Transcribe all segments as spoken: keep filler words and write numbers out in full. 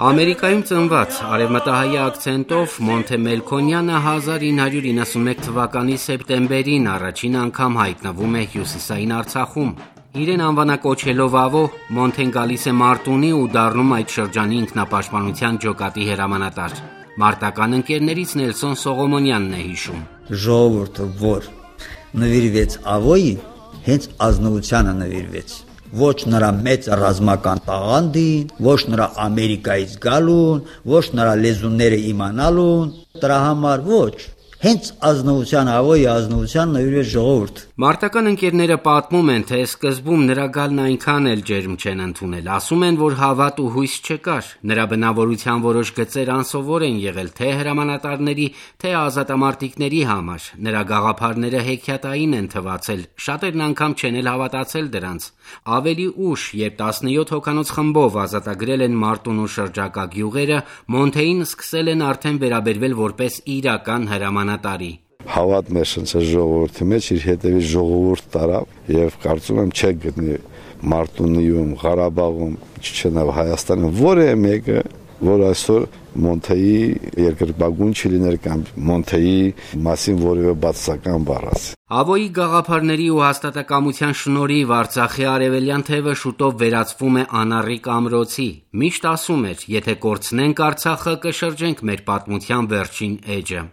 Ամերիկայում ծնված արևմտահայ ակցենտով Մոնթե Մելքոնյանը հազար ինը հարյուր իննսունմեկ թվականի սեպտեմբերին առաջին անգամ հայտնվում է հյուսիսային Արցախում։ Իրեն անվանակոչելով Ավո, Մոնթեն գալիս է Մարտունի ու դառնում այդ շրջանի ինքնապաշտպանության ջոկատի հրամանատար։ Մարտական ընկերներից Նելսոն Սողոմոնյանն է հիշում. Ժողովուրդը, որ նվիրվեց Ավոյի, հենց ազնվությանը նվիրվեց։ Ոչ նրա մեծ ռազմական տաղանդին, ոչ նրա Ամերիկայից գալուն, ոչ նրա լեզուները իմանալուն, դրա համար ոչ, հենց ազնվության Ավոյի ազնվության նվիրվեց ժողովուրդ։ Մարտական ընկերները պատմում են, թե սկզբում նրա գալն այնքան էլ ջերմ չեն ընդունել, ասում են, որ հավատ ու հույս չկար, նրա բնավորության որոշ գծեր անսովոր են եղել թե հրամանատարների, թե ազատամարտիկների համար, նրա գաղափարները հեքիաթային են թվացել, շատերն անգամ չեն էլ հավատացել դրանց։ Ավելի ուշ, երբ տասնյոթ հոգանոց խմբով ազատագրել են Մարտունու շրջակա գյուղերը, Մոնթեին սկսել են արդեն վերաբերվել որպես իրական հրամանատարի։ Հավատ մեջնցեց ժողովրդի մեջ, իր հետևից ժողովուրդ տարավ եւ կարծում եմ չէ գտնի Մարտունիում, Ղարաբաղում, Չեչենիայում, Հայաստանում որևէ մեկը, որ այսօր Մոնթեի երկրպագուն չլիներ կամ Մոնթեի մասին որևէ բացասական բառ ասի։ Ավոյի գաղափարների ու հաստատակամության շնորհիվ Արցախի արևելյան թևը շուտով վերածվում է անառիկ ամրոցի։ Միշտ ասում էր, եթե կորցնենք Արցախը, կշրջենք մեր պատմության վերջին էջը։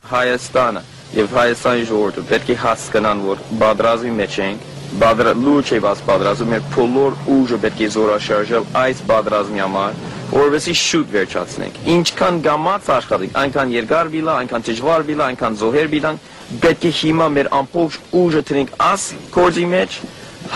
Հայաստանը եւ Հայաստանի ժողովուրդը պետք է հասկանան, որ բادرազմի մեջ ենք, բادر լուրջ է բաց բادرազմը, մեր բոլոր ուժը պետք է զորաշարժել այս բادرազմի համար, որովհետեւ շուտ վերջացնենք։ Ինչքան գամած աշխատենք, այնքան երկար բիլա, այնքան դժվար բիլա, այնքան զոհեր բիլան, պետք է հիմա մեր ամբողջ ուժը տնենք աս կորձի մեջ,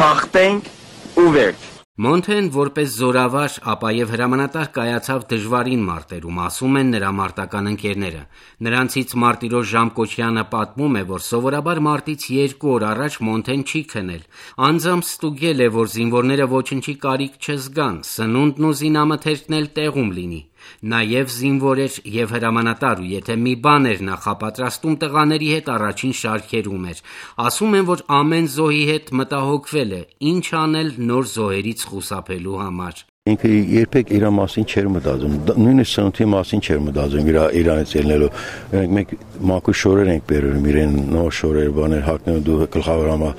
հաղթենք ու վերջ։ Մոնթեն որպես զորավար, ապա եւ հրամանատար կայացավ դժվարին մարտերում, ասում են նրա մարտական ընկերները։ Նրանցից Մարտիրոս Ժամկոչյանը պատմում է, որ սովորաբար մարտից երկու օր առաջ Մոնթեն չի քնել։ Անձամբ ստուգել է, որ զինվորները ոչնչի կարիք չզգան, սնունդն ու զինամթերքն էլ տեղում լինի։ Նաև զինվոր էր եւ հրամանատար ու եթե մի բան էր նախապատրաստում տղաների հետ առաջին շարքերում էր։ Ասում են, որ ամեն զոհի հետ մտահոգվել է, ինչ անել նոր զոհերից խուսափելու համար։ Ինքը երբեք իր մասին չէր մտածում, նույնիսկ սննդի մասին չէր մտածում իր իրանից ելնելու։ Մենք մաքուր շորեր ենք բերում, իրեն նոր շորեր, բաներ հագնում դու գլխավորամա։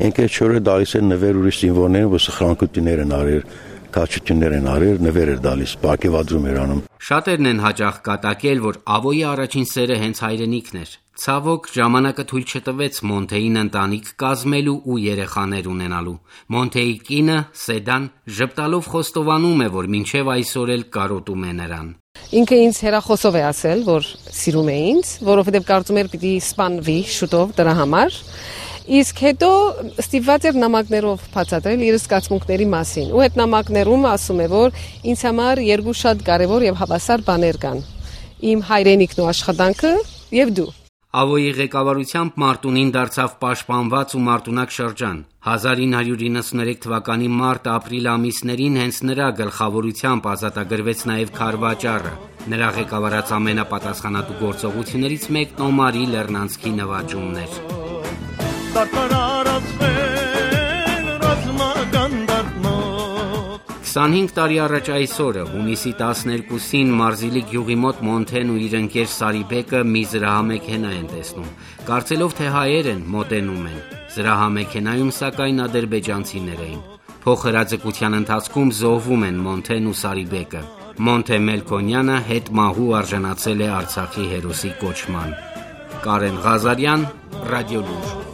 Ինքը շորերը դալիս են նվեր ուրիշ զինվորներին, որ սխրանքություններ են արել։ Կաչություններ են արել, նվեր էր դալիս, պարգևադրում էր անում։ Շատերն են հաճախ կատակել, որ Ավոյի առաջին սերը հենց հայրենիքն էր։ Ցավոք, ժամանակը թույլ չտվեց Մոնթեին ընտանիք կազմելու ու երեխաներ ունենալու։ Մոնթեի կինը, Սեդան, ժպտալով խոստովանում է, որ մինչև այսօր էլ կարոտում է նրան։ Ինքը ինձ հերախոսով է ասել, որ սիրում է ինձ, որովհետև կարծում էր պիտի սպանվի շուտով դրա համար։ Իսկ հետո ստիպված էր նամակներով բացատրել իր զգացմունքների մասին։ Ու այդ նամակներում ասում է, որ ինձ համար երկու շատ կարևոր եւ հավասար բաներ կան. իմ հայրենիքն ու աշխատանքը եւ դու։ Ավոյի ղեկավարությամբ Մարտունին դարձավ պաշտպանված ու մարտունակ շրջան։ հազար ինը հարյուր իննսուններեք թվականի մարտ-ապրիլ ամիսներին հենց նրա գլխավորությամբ ազատագրվեց նաև Քարվաճառը։ Նրա ղեկավարած ամենապատասխանատու գործողություններից մեկն Օմարի Լեռնանցքի նվաճումն էր։ քսանհինգ տարի առաջ այսօրը, հունիսի տասներկուսին Մարզիլի գյուղի մոտ Մոնթեն ու իր ընկեր Սարիբեկը մի զրահամեքենա են տեսնում։ Կարծելով, թե հայեր են, մոտենում են։ Զրահամեքենայում սակայն ադրբեջանցիներ էին։ Փոխհրաձգության ընթացքում զոհվում են Մոնթեն ու Սարիբեկը։ Մոնթե Մելքոնյանը հետմահու արժանացել է Արցախի հերոսի կոչման։ Կարեն Ղազարյան, Ռադիոլուր։